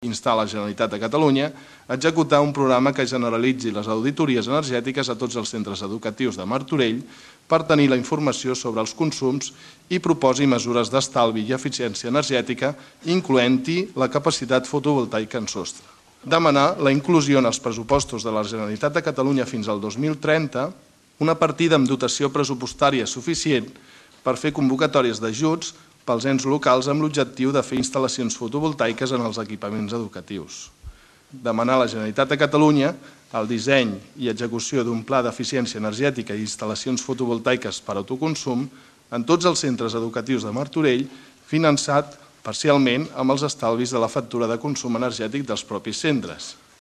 instar la Generalitat de Catalunya a executar un programa que generalitzi les auditories energètiques a tots els centres educatius de Martorell per tenir la informació sobre els consums i proposi mesures d'estalvi i eficiència energètica, incloent-hi la capacitat fotovoltaica en sostre. Demanar la inclusió en els pressupostos de la Generalitat de Catalunya fins al 2030 una partida amb dotació pressupostària suficient per fer convocatòries d'ajuts pels ens locals amb l'objectiu de fer instal·lacions fotovoltaiques en els equipaments educatius. Demanar a la Generalitat de Catalunya el disseny i execució d'un pla d'eficiència energètica i instal·lacions fotovoltaiques per autoconsum en tots els centres educatius de Martorell, finançat parcialment amb els estalvis de la factura de consum energètic dels propis centres.